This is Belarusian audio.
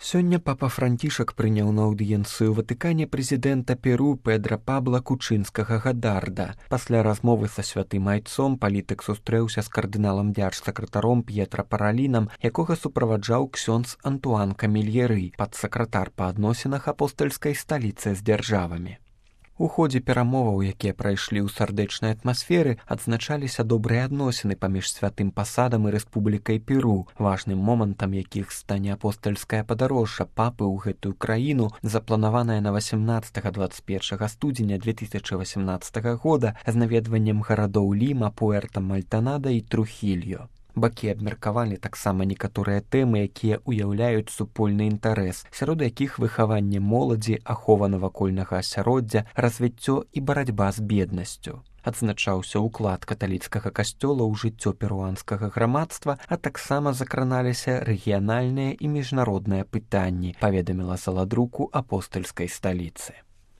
Сёння папа Францішак прыняў на аўдыенцыю ў Ватыкане прэзідэнта Перу Педра Пабла Кучынскага Гадарда. Пасля размовы са святым айцом палітык сустрэўся з кардыналам дзяржсакратаром П'етра Паралінам, якога суправаджаў ксёндз Антуан Камільеры, падсакратар па адносінах апостальскай сталіцы з дзяржавамі. У ходзе перамоваў, якія прайшлі ў сардэчнай атмасферы, адзначаліся добрыя адносіны паміж святым пасадам і Рэспублікай Перу, важным момантам якіх стане апостальскае падарожжа папы ў гэтую краіну, запланаванае на 18-21 студзеня 2018 года з наведваннем гарадоў Ліма, Пуэрта Мальтанада і Трухільо. Бакі абмеркавалі таксама некаторыя тэмы, якія ўяўляюць супольны інтарэс, сярод якіх выхаванне моладзі, ахова навакольнага асяроддзя, развіццё і барацьба з беднасцю. Адзначаўся ўклад каталіцкага касцёла ў жыццё перуанскага грамадства, а таксама закраналіся рэгіянальныя і міжнародныя пытанні, паведаміла заладруку апостальскай сталіцы.